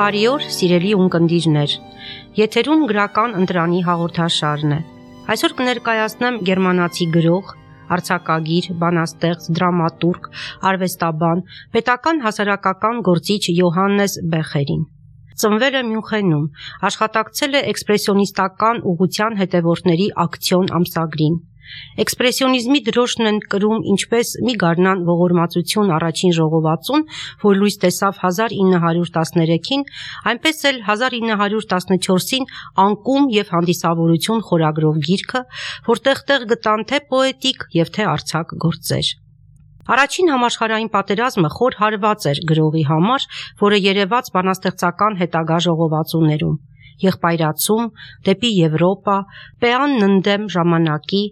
Բարի օր, սիրելի ունկնդիրներ, եթերում գրական ընտրանի հաղորդաշարն է։ Այսօր կներկայացնեմ գերմանացի գրող, արձակագիր, բանաստեղծ, դրամատուրգ, արվեստաբան, պետական հասարակական գործիչ Յոհաննես Բեխերին։ Ծնվել է Մյունխենում, աշխատակցել է էքսպրեսիոնիստական ուղղության հետևորդների ակցիոն ամսագրին։ Էքսպրեսիոնիզմի դրոշն են կրում ինչպես մի գարնան ողորմածություն առաջին ժողովածուն, որ լույս տեսավ 1913-ին, այնպես էլ 1914-ին անկում եւ հանդիսավորություն խորագրով գիրքը, որտեղ տեղ գտան թե պոետիկ եւ թե արձակ գործեր։ Առաջին համաշխարհային պատերազմը խոր հարված էր գրողի համար, որը երևաց բանաստեղծական հետագա ժողովածուներում՝ Եղբայրացում, Դեպի Եվրոպա, Պեանն ընդդեմ ժամանակի,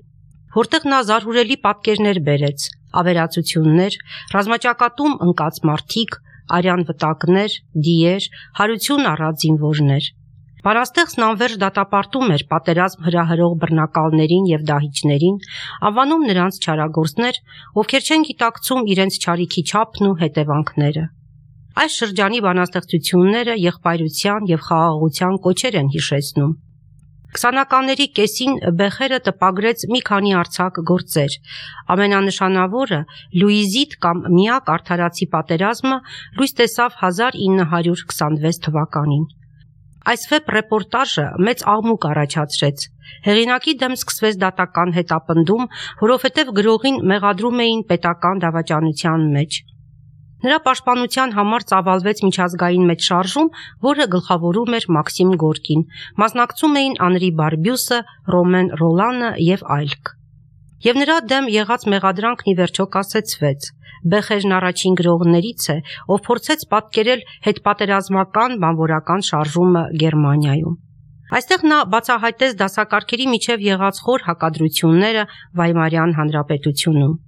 որտեղ նա զարհուրելի պատկերներ բերեց, ավերածություններ, ռազմաճակատում ընկած մարդիկ, արյան վտակներ, դիեր, հարություն առած զինվորներ։ Բանաստեղծն անվերջ դատապարտում էր պատերազմ հրահրող բռնակալներին եւ դահիճներին, անվանում նրանց չարագործներ, ովքեր չեն գիտակցում իրենց չարիքի չափն ու հետևանքները։ Այս շրջանի բանաստեղծությունները եղբայրության եւ խաղաղության կոչեր են հիշեցնում։ 20-ականների կեսին Բեխերը տպագրեց մի քանի արձակ գործեր։ Ամենանշանավորը Լուիզիտ կամ Միակ արդարացի պատերազմը լույս տեսավ 1926 թվականին։ Այս վեպ ռեպորտաժը մեծ աղմուկ առաջացրեց։ Հեղինակի դեմ սկսվեց դատական հետապնդում, որովհետև գրողին մեղադրում էին պետական դավաճանության մեջ։ Նրա պաշտպանության համար ծավալվեց միջազգային մեծշարժում, որը գլխավորում էր Մաքսիմ Գորկին, մասնակցում էին Անրի Բարբյուսը, Ռոմեն Ռոլանը եւ այլք։ Եվ նրա դեմ եղած մեղադրանքն ի վերջո կասեցվեց։ Բեխերն առաջին գրողներից է, ով փորձեց պատկերել հետպատերազմական բանվորական շարժումը Գերմանիայում։ Այստեղ նա բացահայտեց դասակարգերի միջև եղած խոր հակադրությունները Վայմարյան հանրապետությունում։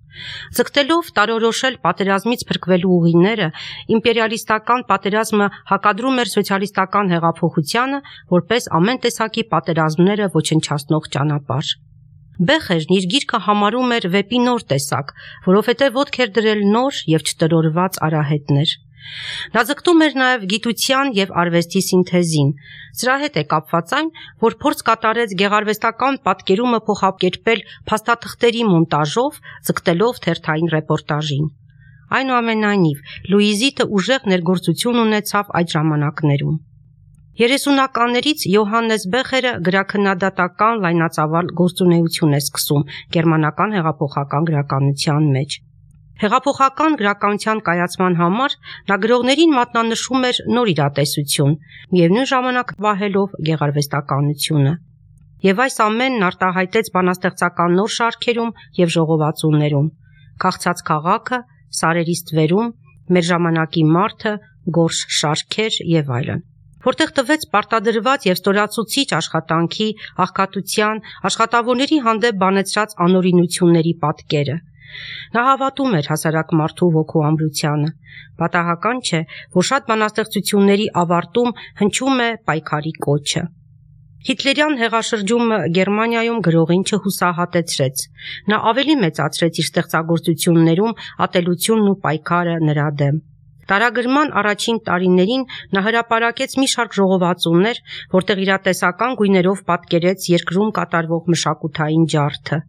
Ձգտելով տարորոշել պատերազմից փրկվելու ուղիները, իմպերիալիստական պատերազմը հակադրում էր սոցիալիստական հեղափոխությանը, որպես ամեն տեսակի պատերազմները ոչնչացնող ճանապարհ։ Բեխերն իր գիրքը համարում էր վեպի նոր տեսակ, որովհետև ոտք էր դրել նոր եւ չտրորված արահետներ։ Նա ձգտում էր նաև գիտության եւ արվեստի սինթեզին։ Սրա հետ է կապված այն, որ փորձ կատարեց գեղարվեստական պատկերումը փոխակերպել փաստաթղթերի մոնտաժով, ձգտելով թերթային ռեպորտաժին։ Այնուամենայնիվ, Լուիզիտը ուժեղ ներգործություն ունեցավ այդ ժամանակներում։ 30-ականներից Յոհաննես Բեխերը գրաքննադատական լայնածավալ գործունեություն է սկսում գերմանական հեղափոխական գրականության մեջ։ Հեղափոխական գրականության կայացման համար նա գրողներին մատնանշում էր նոր իրատեսություն, միևնույն ժամանակ վահելով գեղարվեստականությունը։ Եվ այս ամենն արտահայտեց բանաստեղծական նոր շարքերում եւ ժողովածուներում՝ Քաղցած քաղաքը, Սարերի ստվերում, Մեր ժամանակի մարդը, Գորշ շարքեր եւ այլն, որտեղ տվեց պարտադրված եւ ստորացուցիչ աշխատանքի, աղքատության, աշխատավորների հանդեպ բանեցրած անօրինությունների պատկերը։ Նա հավատում էր հասարակ մարդու ոգու ամրությանը։ Պատահական չէ, որ շատ բանաստեղծությունների ավարտում հնչում է պայքարի կոչը։ Հիտլերյան հեղաշրջումը Գերմանիայում գրողին չհուսահատեցրեց։ Նա ավելի մեծացրեց իր ստեղծագործություններում ատելությունն ու պայքարը նրա դեմ։ Տարագրման առաջին տարիներին նա հրապարակեց մի շարք ժողովածուներ, որտեղ իրատեսական գույներով պատկերեց երկրում կատարվող մշակութային ջարդը։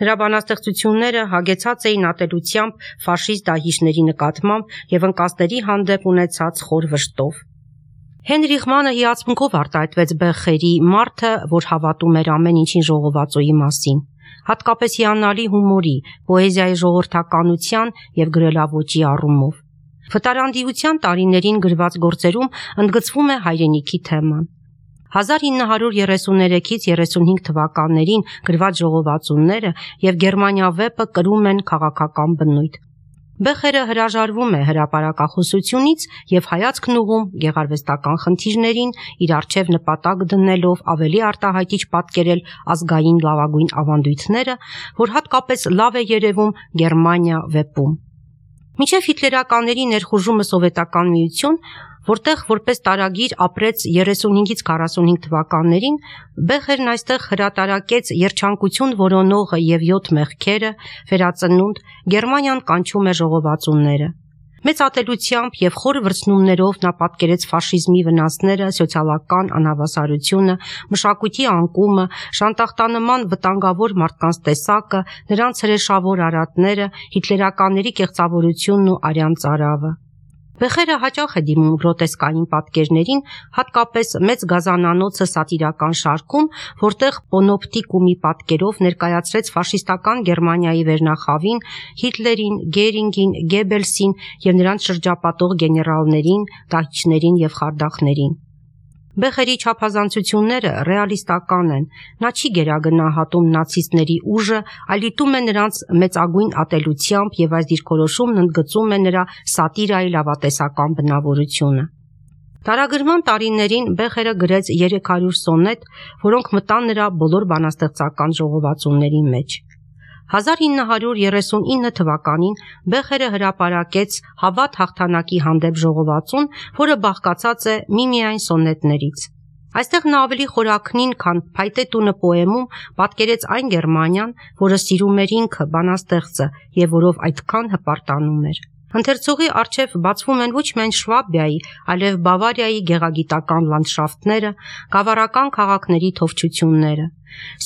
Նրա բանաստեղծությունները հագեցած էին ատելությամբ ֆաշիստ դահիճների նկատմամբ եւ ընկածների հանդեպ ունեցած խոր վշտով։ Հենրիխ Մանը հիացմունքով արտահայտվեց Բեխերի «Մարդը, որ հավատում էր ամեն ինչին» ժողովածուի մասին, հատկապես հիանալի հումորի, պոեզիայի ժողովրդականության եւ գրելաոճի առումով։ Վտարանդիության տարիներին գրված գործերում ընդգծվում է հայրենիքի թեման։ 1933-ից 35 թվականներին գրված ժողովածուները եւ Գերմանիա վեպը կրում են քաղաքական բնույթ։ Բեխերը հրաժարվում է հրապարակախոսությունից եւ հայացքն ուղղում գեղարվեստական խնդիրներին, իր առջև նպատակ դնելով ավելի արտահայտիչ պատկերել ազգային լավագույն ավանդույթները, որ հատկապես լավ է երևում Գերմանիա վեպում։ Մինչև հիտլերականների ներխուժումը Սովետական Միություն, որտեղ որպես տարագիր ապրեց 35-ից 45 թվականներին, Բեխերն այստեղ հրատարակեց Երջանկություն որոնողը եւ 7 մեղքերը, Վերածնունդ, Գերմանիան կանչում է ժողովածուները։ Մեծ ատելությամբ եւ խոր վրձնումներով նա պատկերեց ֆաշիզմի վնասները, սոցիալական անհավասարությունը, մշակույթի անկումը, շանտախտանման վտանգավոր մարդկանց տեսակը, նրանց հրեշավոր արատները, հիտլերականների կեղծավորությունն ու արյան ծարավը։ Բեխերը հաճախ է դիմում գրոտեսկային պատկերներին, հատկապես մեծ գազանանոցը սատիրական շարքում, որտեղ պոնոպտիկումի պատկերով ներկայացրեց ֆաշիստական Գերմանիայի վերնախավին, Հիտլերին, Գերինգին, Գեբելսին եւ նրանց շրջապատող գեներալներին, դահիճներին եւ խարդախներին։ Բեխերի չափազանցությունները ռեալիստական են, նա չի գերագնահատում նացիստների ուժը, այլ դիտում է նրանց մեծագույն ատելությամբ եւ այս դիրքորոշումն ընդգծում է նրա սատիրայի լավատեսական բնավորությունը։ Տարագրման տարիներին Բեխերը գրեց 300 սոնետ, որոնք մտան նրա բոլոր բանաստեղծական ժողովածուների մեջ։ 1939 թվականին Բեխերը հրապարակեց «Հավատ հաղթանակի հանդեպ» ժողովածուն, որը բաղկացած է միմիայն սոնետներից։ Այստեղ նա ավելի խորաքնին, քան «Փայտե տունը» պոեմում պատկերեց այն Գերմանիան, որը սիրում էր ինքը, բանաստեղծը, եւ որով այդքան հպարտանում էր։ Ընթերցողի առջև բացվում են ոչ միայն Շվաբիայի, այլև Բավարիայի գեղագիտական լանդշաֆտները, գավառական քաղաքների թովչությունները։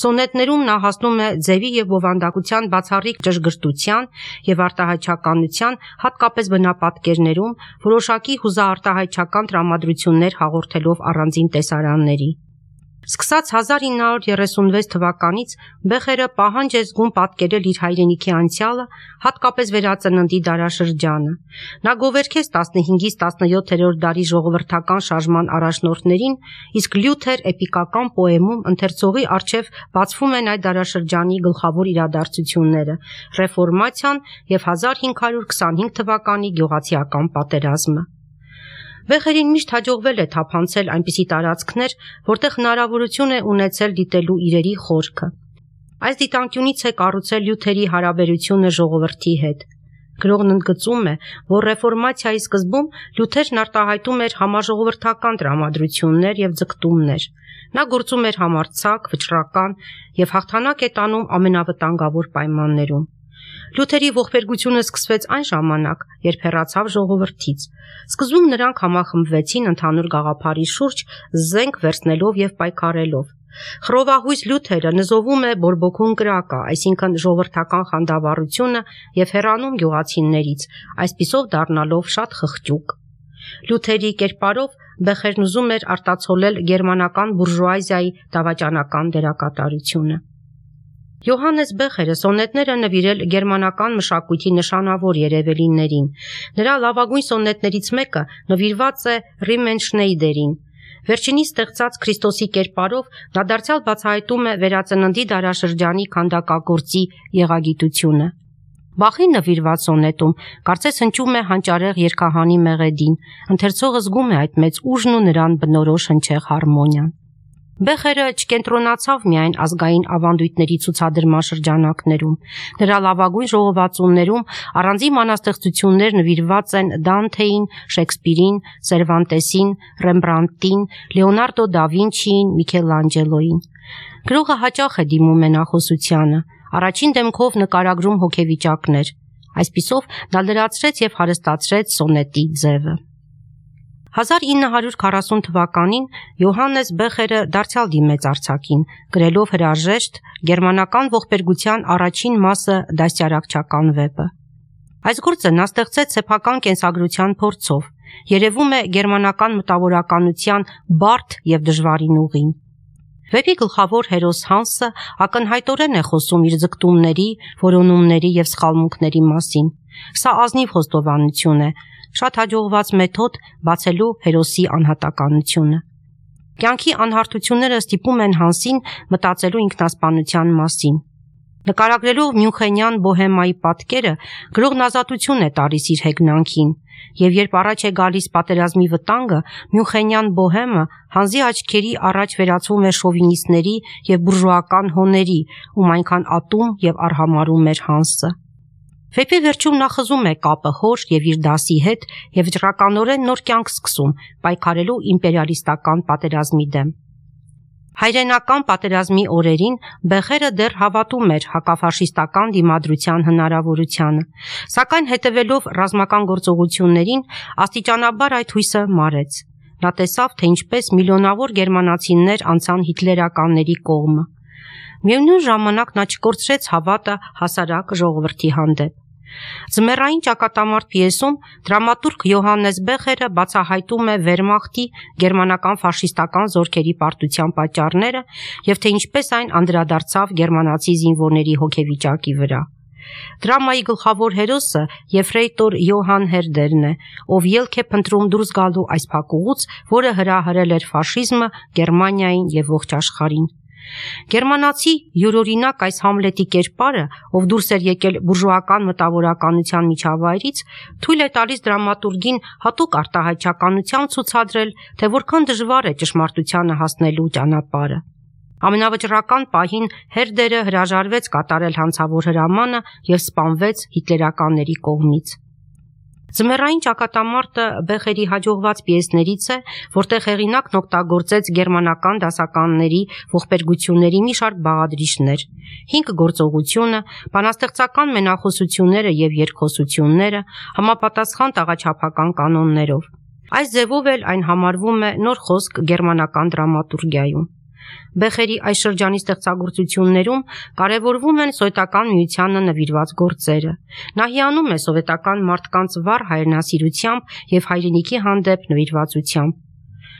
Սոնետներում նա հասնում է ձևի եւ բովանդակության բացառիկ ճշգրտության եւ արտահայտչականության, հատկապես բնապատկերներում, որոշակի հուզաարտահայտչական տրամադրություններ հաղորդելով առանձին տեսարանների։ Սկսած 1936 թվականից Բեխերը պահանջ է զգում պատկերել իր հայրենիքի անցյալը, հատկապես վերածննդի դարաշրջանը։ Նա գովերքեց 15-ից 17-րդ դարի ժողովրդական շարժման առաջնորդներին, իսկ Լյութեր էպիկական պոեմում ընթերցողի առջև բացվում են այդ դարաշրջանի գլխավոր իրադարձությունները՝ ռեֆորմացիան եւ 1525 թվականի գյուղացիական պատերազմը։ Բեխերին միշտ հաջողվել է թափանցել այնպիսի տարածքներ, որտեղ հնարավորություն է ունեցել դիտելու իրերի խորքը։ Այս դիտանկյունից է կառուցել Լյութերի հարաբերությունը ժողովրդի հետ։ Գրողն ընդգծում է, որ ռեֆորմացիայի սկզբում Լյութերն արտահայտում էր համաժողովրդական տրամադրություններ եւ ձգտումներ։ Նա գործում էր համարձակ, վճռական եւ հաղթանակ է տանում ամենավտանգավոր պայմաններում։ Լյութերի ողբերգությունը սկսվեց այն ժամանակ, երբ հեռացավ ժողովրդից։ Սկզբում նրանք համախմբվեցին ընդհանուր գաղափարի շուրջ, զենք վերցնելով եւ պայքարելով։ Խռովահույս Լյութերը նզովում է բորբոքուն կրակը, այսինքն ժողովրդական խանդավառությունը եւ հեռանում գյուղացիներից, այսպիսով դառնալով շատ խղճուկ։ Լյութերի կերպարով Բեխերն ուզում էր արտացոլել գերմանական բուրժուազիայի դավաճանական դերակատարությունը։ Յոհաննես Բեխերը սոնետները նվիրել գերմանական մշակույթի նշանավոր երևելիներին։ Նրա լավագույն սոնետներից մեկը նվիրված է Ռիմենշնեյդերին։ Վերջինիս ստեղծած Քրիստոսի կերպարով նա դարձյալ բացահայտում է վերածննդի դարաշրջանի քանդակագործի եղագիտությունը։ Բախի նվիրված սոնետում կարծես հնչում է հանճարեղ երգահանի մեղեդին, ընթերցողը զգում է այդ մեծ ուժն ու նրան բնորոշ հնչեղ հարմոնիան։ Բեխերը չկենտրոնացավ միայն ազգային ավանդույթների ցուցադրման շրջանակներում։ Նրա լավագույն ժողովածուներում առանձին բանաստեղծություններ նվիրված են Դանթեին, Շեքսպիրին, Սերվանտեսին, Ռեմբրանտին, Լեոնարդո դա Վինչիին, Միքելանջելոին։ Գրողը հաճախ է դիմում մենախոսությանը, առաջին դեմքով նկարագրում հոգեվիճակներ։ Այսպիսով նա լրացրեց եւ հարստացրեց սոնետի ձևը։ 1940 թվականին Յոհաննես Բեխերը դարձյալ դիմեց արձակին, գրելով հրաժեշտ գերմանական ողբերգության առաջին մասը դաստիարակչական վեպը։ Այս գործը նա ստեղծեց սեփական կենսագրության փորձով, երևում է գերմանական մտավորականության բարդ եւ դժվարին ուղին։ Վեպի գլխավոր հերոս Հանսը ակնհայտորեն է խոսում իր ձգտումների, որոնումների եւ սխալմունքների մասին։ Սա ազնիվ խոստովանություն է, շատ հաջողված մեթոդ բացելու հերոսի անհատականությունը։ Կյանքի անհարթությունները ստիպում են Հանսին մտածելու ինքնասպանության մասին։ Նկարագրելով Մյունխենյան բոհեմայի պատկերը, գրողն ազատություն է տալիս իր հեգնանքին, եւ երբ առաջ է գալիս պատերազմի վտանգը, Մյունխենյան բոհեմը Հանսի աչքերի առաջ վերածվում է շովինիստների եւ բուրժուական հոների, ում այնքան ատում եւ արհամարհում էր Հանսը։ Վեպի վերջում նա խզում է կապը հոր եւ իր դասի հետ եւ վճռականորեն նոր կյանք սկսում, պայքարելու իմպերիալիստական պատերազմի դեմ։ Հայրենական պատերազմի օրերին Բեխերը դեռ հավատում էր հակաֆաշիստական դիմադրության հնարավորությանը, սակայն հետևելով ռազմական գործողություններին աստիճանաբար այդ հույսը մարեց։ Նա տեսավ, թե ինչպես միլիոնավոր գերմանացիներ անցան հիտլերականների կողմը։ Միևնույն ժամանակ նա չկորցրեց հավատը հասարակ ժողովրդի հանդեպ։ Ձմեռային ճակատամարտ պիեսում դրամատուրգ Յոհաննես Բեխերը բացահայտում է Վերմախտի գերմանական ֆաշիստական զորքերի պարտության պատճառները և թե ինչպես այն անդրադարձավ գերմանացի զինվորների հոգեվիճակի վրա։ Դրամայի գլխավոր հերոսը եֆրեյտոր Յոհան Հերդերն է, ով ելք է փնտրում դուրս գալու այս փակուղուց, որը հրահրել էր ֆաշիզմը Գերմանիային և ողջ աշխարհին։ Գերմանացի յուրօրինակ այս Համլետի կերպարը, ով դուրս էր եկել բուրժուական մտավորականության միջավայրից, թույլ է տալիս դրամատուրգին հատուկ արտահայտչականությամբ ցուցադրել, թե որքան դժվար է ճշմարտությանը հասնելու ճանապարհը։ Ամենավճռական պահին Հերդերը հրաժարվեց կատարել հանցավոր հրամանը և սպանվեց հիտլերականների կողմից։ Ձմեռային ճակատամարտը Բեխերի հաջողված պիեսներից է, որտեղ հեղինակն օգտագործեց գերմանական դասականների ողբերգությունների մի շարք բաղադրիչներ՝ 5 գործողությունը, բանաստեղծական մենախոսությունները և երկխոսությունները, համապատասխան տաղաչափական կանոններով։ Այս ձևով էլ այն համարվում է նոր խոսք գերմանական դրամատուրգիայում։ Բեխերի այս շրջանի ստեղծագործություններում կարևորվում են Սովետական Միությանը նվիրված գործերը։ Նա հիանում է սովետական մարդկանց վառ հայրենասիրությամբ և հայրենիքի հանդեպ նվիրվածությամբ։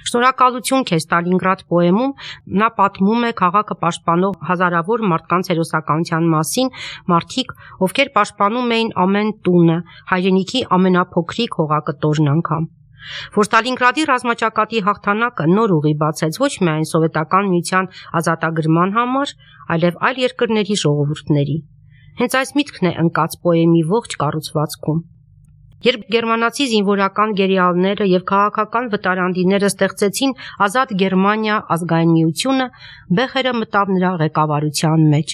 «Շնորհակալություն քեզ Ստալինգրադ» պոեմում նա պատմում է քաղաքը պաշտպանող հազարավոր մարդկանց հերոսականության մասին, մարդիկ, ովքեր պաշտպանում էին ամեն տունը, հայրենիքի ամենափոքրիկ հողակտորն անգամ։ Որ Ստալինգրադի ռազմաճակատի հաղթանակը նոր ուղի բացեց ոչ միայն Սովետական Միության ազատագրման համար, այլև այլ երկրների ժողովուրդների։ Հենց այս միտքն է ընկած պոեմի ողջ կառուցվածքում։ Երբ գերմանացի զինվորական գերիալները և քաղաքական վտարանդիները ստեղծեցին Ազատ Գերմանիա ազգային միությունը, Բեխերը մտավ նրա ղեկավարության մեջ։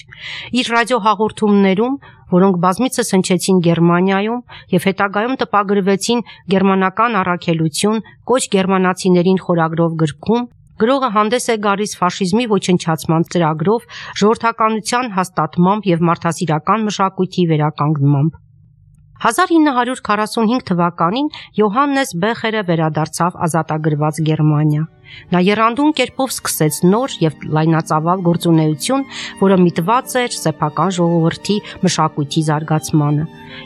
Իր ռադիոհաղորդումներում, որոնք բազմիցս հնչեցին Գերմանիայում և հետագայում տպագրվեցին Գերմանական առաքելություն, կոչ գերմանացիներին խորագրով գրքում, գրողը հանդես է գալիս ֆաշիզմի ոչնչացման ծրագրով, ժողովրդականության հաստատմամբ և մարդասիրական մշակույթի վերականգնմամբ։ 1945 թվականին Յոհաննես Բեխերը վերադարձավ ազատագրված Գերմանիա։ Նա եռանդուն կերպով սկսեց նոր և լայնածավալ գործունեություն, որը միտված էր սեփական ժողովրդի մշակույթի զարգացմանը։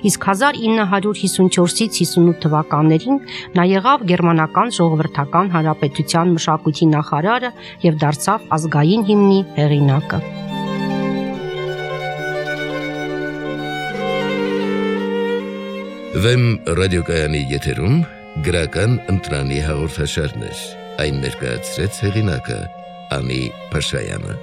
Իսկ 1954-ից 58 թվականներին նա եղավ Գերմանական Ժողովրդական Հանրապետության մշակույթի նախարարը և դարձավ ազգային հիմնի հեղինակը։ Վեմ ռադիոկայանի եթերում գրական ընտրանի հաղորդաշարներ, այն ներկայացրեց հեղինակը Անի Փաշայանը։